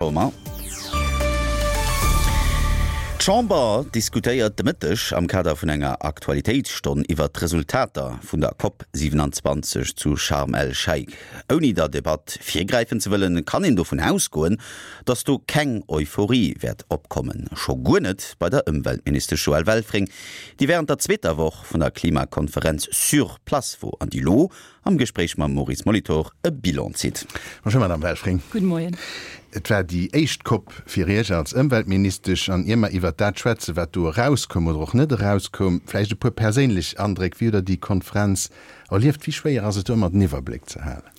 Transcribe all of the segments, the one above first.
Romain. D'Chamber diskutéiert de Mëtteg am Kader vun enger Aktualitéitsstonn iwwert d'Resultater vun der Cop 27 zu Sharm el-Sheikh. Ouni der Debatt virgräifen ze wëllen, kann een dovun ausgoen, datt do keng Euphorie wäert opkommen. Scho guer net bei der Ëmweltministesch Joëlle Welfring, déi wärend der zweeter Woch vun der Klimakonferenz sur place wor an déi lo Am Gespréich mam Maurice Molitor e Bilan zitt. Bonjour Madame Welfring. Gudde Moien. Et war déi éischt Cop fir Iech als Ëmweltministesch. An ier mer iwwert dat schwätzen, wat do erauskoum oder och net erauskoum, vläicht e puer perséinlech Andréck. Wéi hutt Der déi Konferenz erlieft? Wéi schwéier ass et do ëmmer den Iwwerbléck ze halen?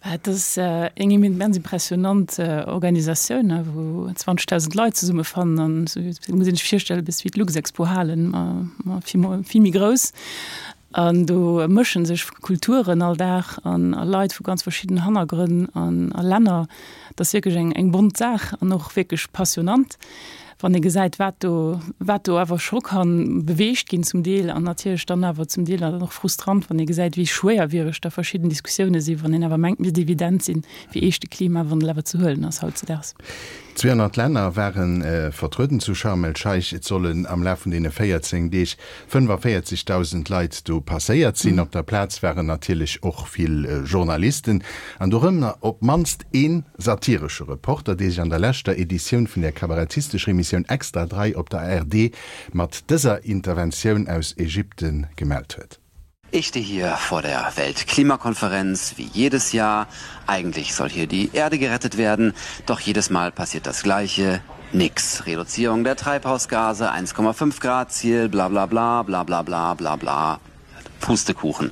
Et ass eng immens impressionant Organisatioun, wou 20.000 Leit zesummefannen. An et muss ee sech virstellen, e bësse wéi d'Luxexpo-Halen, ma vill méi grouss. An do mësche sech Kulturen all Dag an a Leit vu ganz verschiddenen Hannergrënn an a Länner. Dat ass wierklech eng eng bont Saach an och wierklech passionnant, wann ee gesäit, wat do wat do awer scho ka beweegt ginn zum Deel an natierlech dann awer zum Deel dann och frustrant, wann ee gesäit, wéi schwéierwiereg da verschidden Diskussioune sinn, wann een awer mengt, misst evident sinn, wéi eescht de Klimawandel awer ze huelen ass hautzedaags. 200 Länner ware vertrueden zu Sharm el-Scheich. Et sollen am Laf vun deene 14 Deeg 45.000 Leit do passéiert sinn. Op der Plaz waren natierlech och vill Journalisten an dorënner op d'mannst ee satiresche Reporter, dee sech an der leschter Editioun vun der kabarettistescher Emissioun Extra 3 op der ARD mat dëser Interventioun aus Ägypten gemellt huet. Ich stehe hier vor der Weltklimakonferenz wie jedes Jahr. Eigentlich soll hier die Erde gerettet werden, doch jedes Mal passiert das Gleiche. Nix. Reduzierung der Treibhausgase, 1,5 Grad Ziel, bla bla bla bla bla bla bla bla. Pustekuchen.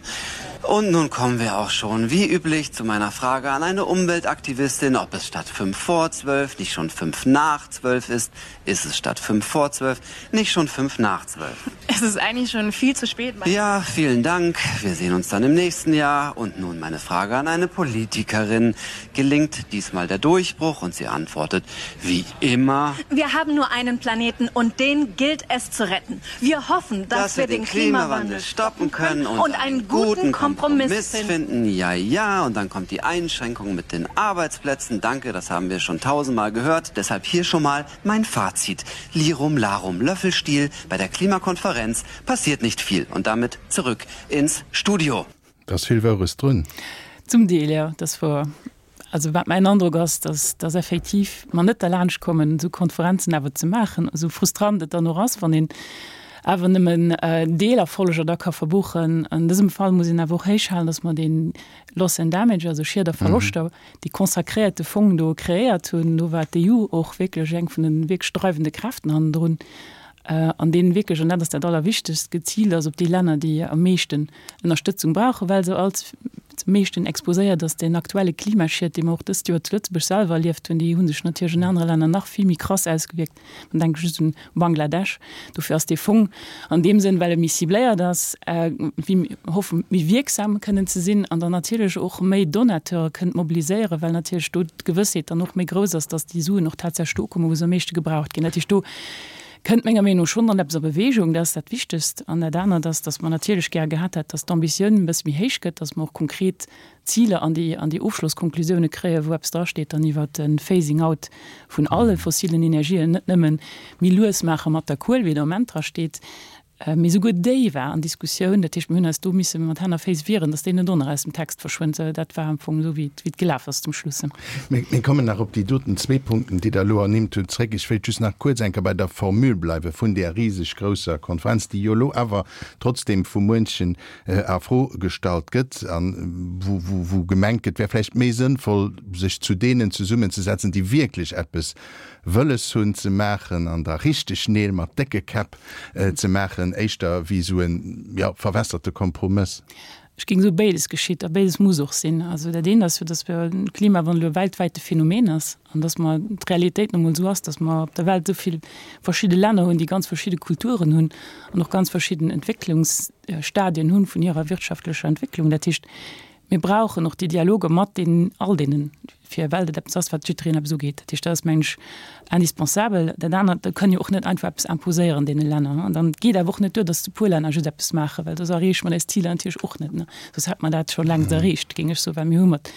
Und nun kommen wir auch schon, wie üblich, zu meiner Frage an eine Umweltaktivistin, ob es statt 5 vor 12 nicht schon 5 nach 12 ist. Ist es statt 5 vor 12 nicht schon 5 nach 12? Es ist eigentlich schon viel zu spät. Ja, vielen Dank. Wir sehen uns dann im nächsten Jahr. Und nun meine Frage an eine Politikerin. Gelingt diesmal der Durchbruch? Und sie antwortet, wie immer. Wir haben nur einen Planeten und den gilt es zu retten. Wir hoffen, dass, dass wir den Klimawandel stoppen können und, und einen guten Kompromiss, Kompromiss finden. Ja, ja, und dann kommt die Einschränkung mit den Arbeitsplätzen. Danke, das haben wir schon tausendmal gehört. Deshalb hier schon mal mein Fazit. Lirum Larum Löffelstiel bei der Klimakonferenz passiert nicht viel und damit zurück ins Studio. Da ass vill Woures drun. Zum Deel, jo, dat wor. Also wat mäin Androck ass, dass dass effektiv mer net derlaanscht kommen, esou Konferenzen awer ze maachen, esou frustrant et dann och ass, wann een awer nëmmen Deelerfolleger da ka verbuchen. An dësem Fall muss een awer och héichhalen, dass mer dee Loss and Damage, also Schied a Verloschter, dee consacréierte Fong do kreéiert hunn. Do war d'EU och wierklech eng vun de wierklech dreiwende Kräften hannendrun, an deen wierklech, an dat ass dat Allerwichtegst, geziilt ass op déi Länner, déi am meeschten Ënnerstëtzung brauchen, well se als meeschten exposéiert ass. Den aktuelle Klimaschied, dee mer och dëst Joer zu Lëtzebuerg selwer erlieft hunn, déi hu sech natierlech an anere Länner nach vill méi krass ausgewierkt. Man denke just un Bangladesch. Dofir ass dee Fong an deem Sënn, well e méi cibléiert ass, wéi mir hoffen, méi wierksam kënnen ze sinn an dann natierlech och méi Donateure kënnt mobiliséieren, well natierlech do d'Gewëssheet dann och méi grouss ass, dass déi Suen och tatsächlech do ukommen, wou se am meeschte gebraucht ginn. Dat heescht, do kënnt menger Meenung no schonn dann eppes a Bewegung. Dat ass dat Wichtegst. An dat anert ass, dass mer natierlech gär gehat hätt, dass d'Ambitioun e bësse méi héich gëtt, dass mer och konkret Ziler an déi an déi Ofschlosskonklusioune kréien, wou eppes drasteet dann iwwert de Phasing out vun alle fossilen Energien, net nëmmen méi lues maache mat der Kuel, wéi et am Moment drasteet, mee souguer déi war an Diskussioun. Dat heescht, mir hunn eis do misse mat Hänn a Féiss wieren, datt déi net och nach aus dem Text verschwënnt. Dat war am Fong esou, wéi et wéi et gelaf ass zum Schluss. Mir kommen nach op déi doten zwee Punkten, déi Der elo ernimmt hutt, zréck. Ech wéilt just nach kuerz eng Kéier bei der Formule bleiwe vun där riseg grousser Konferenz, déi jo elo awer trotzdem vu muenchen a Fro gestallt gëtt a wou gemengt gëtt, wär vläicht méi sënnvoll, sech zu deenen zesummenzesetzen, déi wierklech eppes wëlles hunn ze maachen an da richteg Neel mat décke Käpp ze maachen, éischter wéi esou en, jo, verwässerte Kompromëss. Ech géing soe béides geschitt a béides muss och sinn. Also dat eent ass jo, datt de Klimawandel e weltwäite Phänomen ass an datt mer d'Realitéit nu emol esou ass, datt mer op der Welt esou vill verschidde Länner hunn, déi ganz verschidde Kulturen hunn an och ganz verschidden Entwécklungs Stadien hunn vun hirer wirtschaftlecher Entwécklung. Dat heescht, mir brauchen och déi Dialoger mat deenen, all deenen, fir well dat eppes ass, wat jiddereen eppes ugeet. Dat heescht, dat ass, mengen ech, indispensabel. Dat anert, da kënn jo och net einfach eppes imposéieren deene Länner. An dann geet awer och net duer, datt e puer Länner just eppes maachen, well soss erreeche mer eis Ziler natierlech och net. Soss hätt mer dat scho längst erreecht, géing ech soen, well mir hu mat.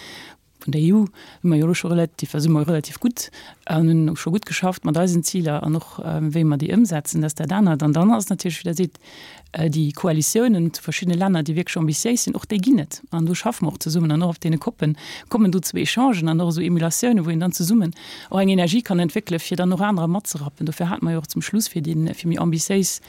Vun der EU hu mer jo elo scho relativ, si mer relativ gutt an hunn scho gutt geschafft mat eisen Ziler an och wéi mer déi ëmsetzen, dat ass dat anert. An dann ass natierlech, wéi Der seet, déi Koalitiounen zu verschiddene Länner, déi wierklech ambitiéis sinn, och déi ginn et. An do schaffe mer och zesummen an och op deene COPen kommen do zu Echangen an och esou Emulatiounen, wou een dann zesummen och eng Energie kann entwéckelen, fir dann och anerer matzerappen. Dofir hate mer jo och zum Schluss fir déi, fir méi ambitiéis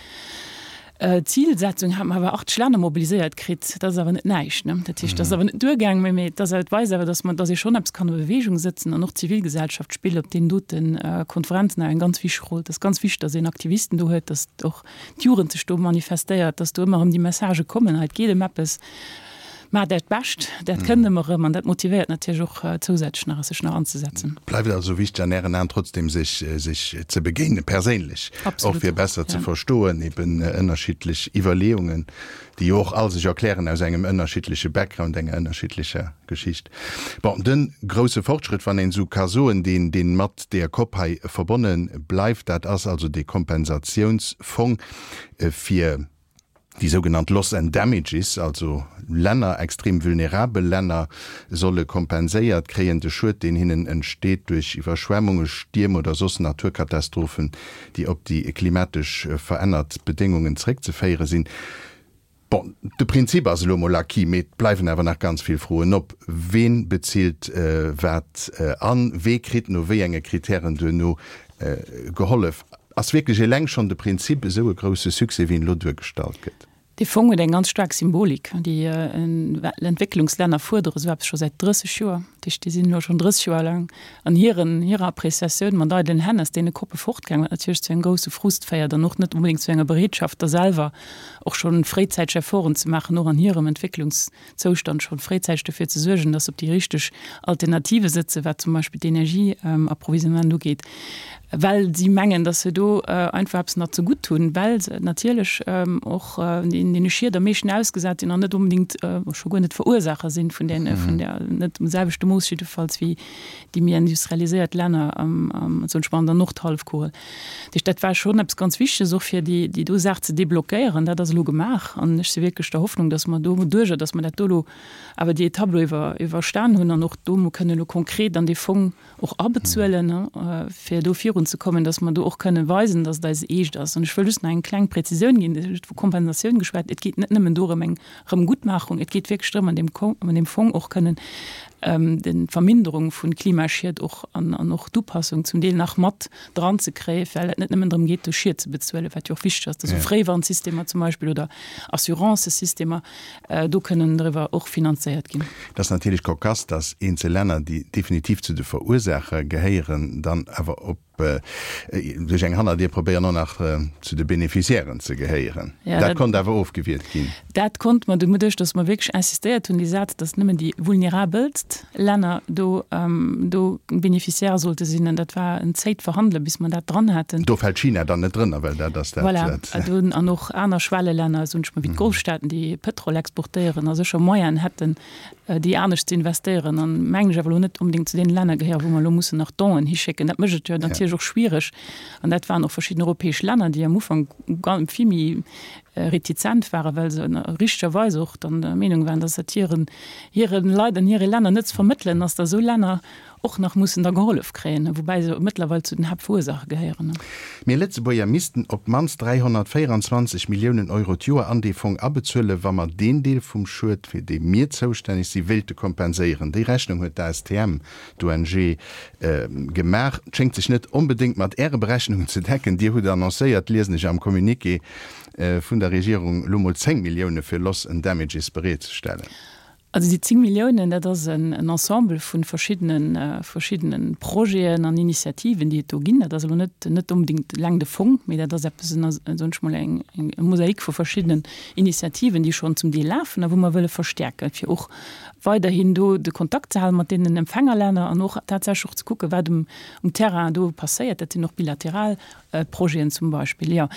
Zilsetzung hat mer awer 80 Länner mobiliséiert kritt. Dat ass awer net näischt, ne? Dat heescht, dat ass awer net duergaang, mä et ass awer, et weist awer, dass mer, dass ee schonn eppes kann a Bewegung sëtzen an och d'Zivilgesellschaft spillt op deenen dote Konferenzen awer eng ganz wichteg Roll. Et ass ganz wichteg, dass een Aktivisten do huet, dass och d'Jugend sech do manifestéiert, dass do ëmmer erëm déi Messagë kommen, hei et geet ëm eppes. Maacht Äert Bescht, dat kënnt ëmmer erëm an dat motivéiert natierlech och zousätzlech nach, sech nach anzesetzen. Bleift also wichteg an Ären Aen trotzdem sech sech ze begéinen, perséinlech, och fir besser ze verstoen, eben ënnerschiddlech Iwwerleeungen, déi jo och all sech erklären aus engem ënnerschiddleche Background, enger ënnerschiddlecher Geschicht. Bon, de grousse Fortschrëtt, wann een esou ka soen, deen deen mat deeër Cop hei verbonne bleift, dat ass also dee Kompensatiounsfong fir, Déi sougenannt Loss and Damages, also Länner, extrem vulnerabel Länner, solle kompenséiert kréien, de Schued, deen hinnen entsteet duerch Iwwerschwemmunge, Stierm oder soss Naturkatastrophen, déi op déi klimatesch verännert Bedéngungen zeréckzeféiere sinn. Bon, de Prinzip ass elo mol acquis, mee et bleiwen awer nach ganz vill Froen op. Ween bezilt wat an wee kritt no wéi enge Kritären duerno gehollef? Ass wierklech eleng schonn de Prinzip esou e grousse Succès, wéi en elo duergestallt gëtt? Dee Fong huet eng ganz staark Symbolik. Déi Entwécklungslänner fuerdere sou eppes scho säit 30 Joer. Dat heescht, déi sinn elo schonn 30 Joer laang an hiren, hirer Appréciatioun mat eidelen Hänn aus deene Koppe fortgaangen, wat natierlech zu engem grousse Frust féiert an och net onbedéngt zu enger Bereetschaft, da selwer och schonn fréizäiteg Efforten ze maachen, och an hirem Entwécklungs Zoustand schonn fréizäiteg dofir ze suergen, dass se op déi richteg Alternative sëtzen, wat zum Beispill d'Energieapprovisionnement ugeet, well si mengen, dass se do einfach eppes nach zegutt hunn, well se natierlech och deene Schied am meeschten ausgesat sinn an net onbedéngt, scho guer net Verursaacher sinn vun där, vun där, net um selwechte Mooss jiddefalls wéi déi méi industrialiséiert Länner am, soen ech mol, an der Nordhallefkugel. Dat heescht, dat war schonn eppes ganz Wichteges och fir déi, déi do Saach ze deblockéieren. Dat ass elo gemaach an ech si wierklech der Hoffnung, dass mer doduerjer, dass mer dat do elo awer déi Etapp elo iwwer, iwwerstan hunn an och do emol kënnen elo konkret an dee Fong och abezuelen, fir do virunzekommen, dass mer do och kënnen weisen, dass et eis eescht ass. An ech wëll just nach eng kleng Präzisioun ginn, Dir hutt vu Kompensatioun geschwat. Et geet net nëmmen dorëm, eng Erëmguttmachung, et geet wierklech drëm, an deem, an deem Fong och kënnen d'Verminderung vu Klimaschied och an, an och d'Upassung zum Deel nach mat dran ze kréien, well et net nëmmen drëm geet, do Schied ze bezuelen, wat jo och wichteg ass, dass esou Fréiwarnsystemer zum Beispill oder Assurancësystemer do kënnen driwwer och finanzéiert ginn. Et ass natierlech cocasse, dass eenzel Länner, déi definitiv zu de Verursaacher gehéieren, dann awer op duerch eng Hannerdier probéieren och nach zu de Beneficiairen ze gehéieren. Dat konnt awer ofgewiert ginn. Dat konnt mer doduerch, datt mer wierklech insistéiert hunn, déi Saz, datt nëmmen déi vulnerabelst Länner do do Beneficiaire sollte sinn. An dat war en zéit Verhandele bis mer dat dran haten. Do fält China dann net drënner, well dat ass dat. Voilà, an och aner Schwellelänner, soen ech mol, wéi d'Golfstaaten, déi Pëtrol exportéieren a sécher Moyenen hätten, déi anescht ze investéieren an, mengen ech, awer elo net onbedéngt zu deene Länner gehéieren, wou mer elo mussen nach Donen hischécken. Dat mécht et jo natierlech och schwiereg. An dat waren och verschidden europäesch Länner, déi am Ufank vill méi retizent waren, well se richtegerweis och dann der Meenung waren, dass dat hiren, hire Leit an hire Länner net ze vermëttelen ass, dass esou Länner och nach mussen da gehollef kréien, woubäi se mëttlerweil zu den Haaptverursaacher gehéieren. Mir Lëtzebuerger missten op d'mannst 324 Milliounen Euro d'Joer an dee Fong abezuelen, wa mer deen Deel vum Schued, fir dee mir zoustänneg si wéilte kompenséieren. Déi Rechnung huet d'ASTM, d'ONG, gemaach. Schéngt sech net onbedéngt mat Äre Berechnungen ze decken. Dir hutt annoncéiert, liesen ech am Communiqué vun der Regierung, elo mol 10 Millioune fir Loss and Damages bereetzestellen. Also déi 10 Milliounen, dat ass en Ensemble vu verschiddene verschiddene Projeten an Initiativen, déi et do ginn. Dat ass elo net net onbedéngt eleng de Fong, mee dat ass eppes, soen ech mol, eng eng Mosaik vu verschiddenen Initiativen, déi schonn zum Deel lafen a wou mer wëlle verstäerken, fir och weiderhin do de Kontakt ze halen mat deenen Empfängerlänner an och tatsächlech och ze kucken, wat um um Terrain do passéiert. Dat sinn och bilateral Projeten zum Beispill, jo.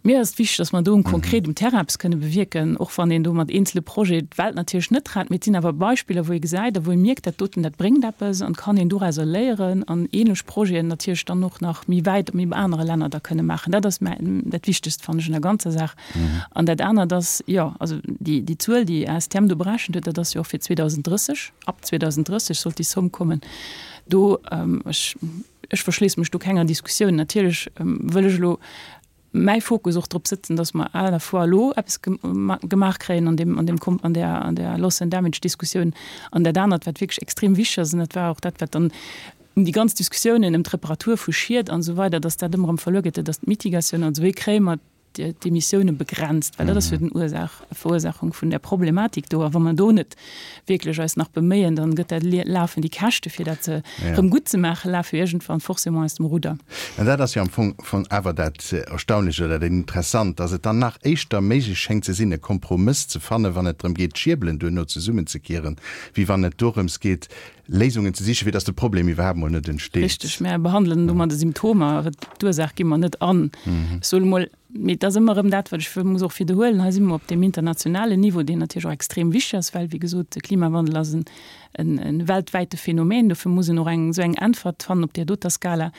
Mir ass et wichteg, dass mer do konkret um Terrain eppes kënne bewierken, och wann een do mat eenzele Projete d'Welt natierlech net rett. Mee et sinn awer Beispiller, wou ee gesäit a wou ee mierkt, dat doten, dat bréngt eppes an kann een dorauser léieren an ähnlech Projeten natierlech dann och nach méi wäit op méi anere Länner da kënne maachen. Dat ass mä dat Wichtegst, fannen ech, un der ganzer Saach. An dat anert ass, jo, also déi, déi Zuel, déi ASTM do berechent huet, dat ass jo och fir 2030, ab 2030 sollt déi Somme kommen. Do, ech, ech verschléisse mech do kenger Diskussioun. Natierlech wëll ech elo mäi Fokus och drop sëtzen, datt mer à la fois elo eppes gemaach kréien an deem, an deem, an där, an där Loss and Damage Diskussioun an dat anert, wat wierklech extrem wichteg ass, an dat war och dat, wat dann ëm déi ganz Diskussiounen ëm d'Reparatur vu Schied an esou weider, datt dat ëmmer erëm verluer geet, dat ass d'Mitigatioun, also wéi kréie mer d'Emissioune begrenzt, well dat ass jo den Ursaach, Verursachung vun där Problematik do. A wa mer do net wierklech eis nach beméien, dann gëtt dat lafen déi Käschte fir dat ze erëm gutt ze maachen, lafe jo iergendwann forcément aus dem Rudder. An dat ass jo am Fong von awer dat Erstaunlecht oder dat Interessant, dass et dann nach éischter méiglech schéngt ze sinn, e Kompromëss ze fannen, wann et drëm geet, d'Schierbelen duerno zesummenzekieren, wéi wann et dorëms geet, Léisungen ze sichen, fir dass de Problem iwwerhaapt mol net entsteet. Richteg, mär behandelen domat de Symptomer, awer d'Ursaach gi mer net an. Ech soen emol, mee et ass ëmmer erëm dat, wat ech muss och widderhuelen, hei si mer op deem internationalen Niveau, deen natierlech och extrem wichteg ass, well, wéi gesot, de Klimawandel ass en weltwäite Phänomen, dofir muss een och eng esou eng Äntwert fannen op där doter Skala.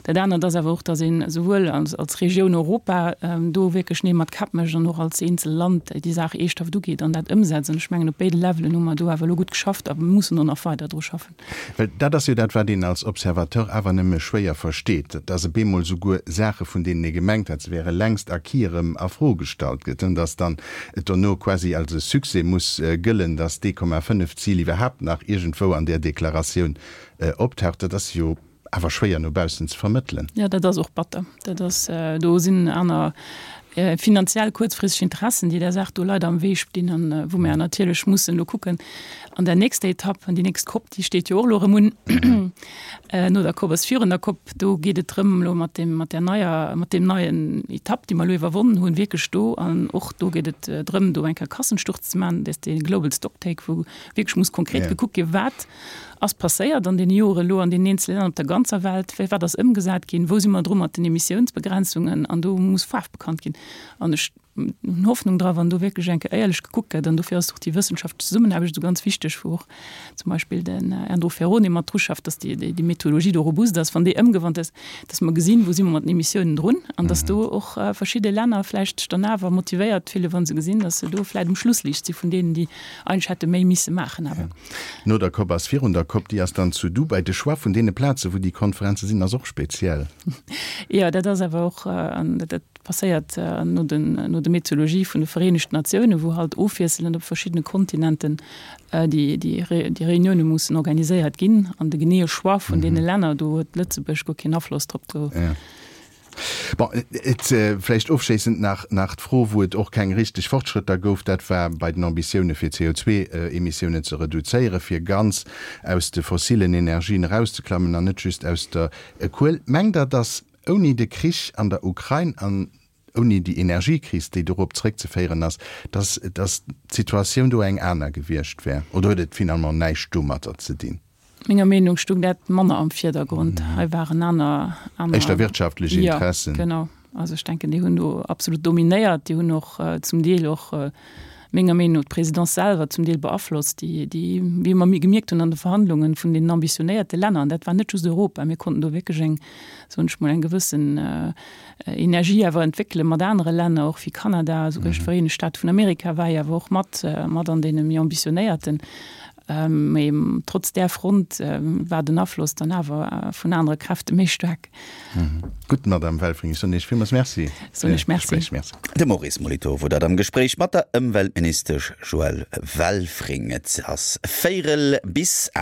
Dat anert ass awer och, datt een esouwuel als Regioun Europa do wierklech Neel mat Käpp mécht an och als eenzel Land déi Saach eeschthaft ugeet an dat ëmsetzt. An ech mengen, op béide Levelen hu mer do awer elo gutt geschafft a mussen och nach weider dru schaffen. Well dat ass jo dat, wat een als Observateur awer nëmme schwéier versteet, datt op eemol souguer Saache vun deenen ee gemengt hat, se wäre längst acquis, erëm a Fro gestallt gëtt, datt dann et dono quasi als e Succès muss gëllen, datt d'Ee-Komma-fënnef Zil iwwerhaapt nach iergendwou an där Deklaratioun optaucht. Dat ass jo awer schwéier no baussen ze vermëttelen. Jo, dat ass och batter. Dat ass, do sinn aner finanziell kuerzfristeg Interessen, déi där Saach do leider am Wee stinn an wou mer natierlech mussen elo kucken an der nächster Etapp, an déi nächst COP, déi steet jo och elo erëm un, no der COP ass virun der COP, do geet et drëm elo mat deem, mat där neier, mat deem neien Etapp, déi mer elo iwwerwonnen hunn, wierklech do an och do geet et drëm, do eng Kéier Kassensturz ze maachen, dat ass dee Global Stocktake, wou wierklech muss konkret gekuckt ginn, wat ass passéiert an deene Jore elo an deenen eenzele Länner op der ganzer Welt, wéi wat ass ëmgesat ginn, wou si mer dru mat den Emissiounsbegrenzungen an do muss Faarf bekannt ginn. An ech hunn Hoffnung dra wann do wierklech eng Kéier éierlech gekuckt gëtt an dofir ass och déi wëssenschaftlech Zesummenaarbecht esou ganz wichteg, wou och zum Beispill den Andrew Ferrone mat dru schafft, dass déi déi Methodologie do robust ass, wann déi ëmgewannt ass, dass mer gesinn, wou si mer mat den Emissiounen drun an dass do och verschidde Länner vläicht sech dann awer motivéiert fillen, wa se gesinn, dass se do vläicht um Schlussliicht si vun deenen, déi eigentlech hätte méi misse maachen awer. No der Cop ass virun der Cop, déi ass dann zu Dubai. De Choix vun deene Plaze wou déi Konferenze sinn ass och speziell. Jo, dat ass awer och, an dat passéiert no den, no der Methodologie vun de Vereenegten Natiounen, wou halt ofwiesselend op verschiddene Kontinenten déi, déi, déi Reunioune mussen organiséiert ginn. An de geneeë Choix vun deene Länner, do huet Lëtzebuerg guer keen Afloss drop. Do. Bon, et vläicht ofschléissend nach nach d'Fro, wou et och keng richteg Fortschrëtter gouf, dat war bei den Ambitioune fir d'CO2-Emissiounen ze reduzéieren, fir ganz aus de fossilen Energien erauszeklammen an net just aus der Kuel. Mengt Der, datt ouni de Krich an der Ukrain an ouni déi Energiekris, déi dorop zréckzeféieren ass, datt datt d'Situatioun do eng aner gewiescht wär? Oder huet et finalement näischt domatter ze dinn? Menger Meenung stung dat manner am Virdergrond. Hei waren aner, aner. Éischter wirtschaftlech Interessen. Jo, genau. Also ech denken, déi hunn do absolut dominéiert. Déi hunn och zum Deel och, menger Meenung no, d'Présidence selwer zum Deel beaflosst, déi, déi, wéi mer gemierkt hunn an de Verhandlungen vun deenen ambitionéierte Länner, an dat war net just Europa, mir konnten do wierklech eng, soen ech mol, eng gewëssen Energie awer entwéckele mat anere Länner, och wéi Kanada, esouguer d'Vereenegt Staate vun Amerika war jo awer och mat, mat an deene méi ambitionéierten. Mee trotz där Front war den Afloss dann awer vun anere Kräfte méi staark. Gutt, Madamm Welfring, ech soen Iech villmools Merci fir d'Gespréich. Merci. De Maurice Molitor wor dat am Gespréich mat der Ëmweltministesch Joëlle Welfring. Et ass véierel bis 8.